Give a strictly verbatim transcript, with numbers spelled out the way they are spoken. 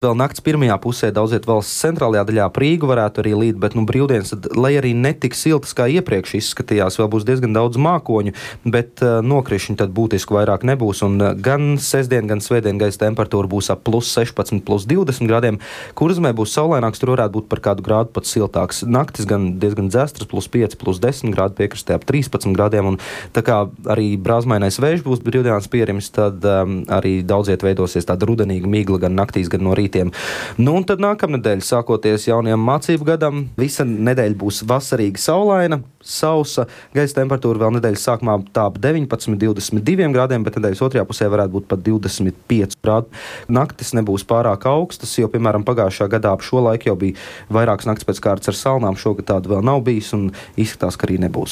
Vēl nakts pirmajā pusē daudz viet valsts centrālajā daļā Rīgu varētu arī līt, bet nu, brīvdienas, tad, lai arī netik siltas kā iepriekš izskatījās, vēl būs diezgan daudz mākoņu, bet uh, nokrišņi tad būtiski vairāk nebūs. Un uh, gan sestdien, gan svētdien gaisa temperatūra būs ap plus sešpadsmit, plus divdesmit grādiem. Kurzemē būs saulaināks, tur varētu būt par kādu grādu pat siltāks. Naktis gan diezgan dzestras, plus pieci, plus desmit grādi, piekrastē ap trīspadsmit grādiem. Un tā kā arī brāzmainais vējš būs brīvdienās pierimis, tad um, arī daudz viet veidosies tāda rudenīga migla gan naktīs, gan no rīta. Nu, un tad nākamnedēļ, sākoties jaunajam mācību gadam, visa nedēļa būs vasarīgi saulaina, sausa, gaisa temperatūra vēl nedēļas sākumā tā ap deviņpadsmit, divdesmit diviem grādiem, bet nedēļas otrajā pusē varētu būt pat divdesmit pieci grādi. Naktis nebūs pārāk augstas, jo, piemēram, pagājušā gadā ap šo laiku jau bija vairākas naktis pēc kārtas ar salnām, šogad tāda vēl nav bijis un izskatās, ka arī nebūs.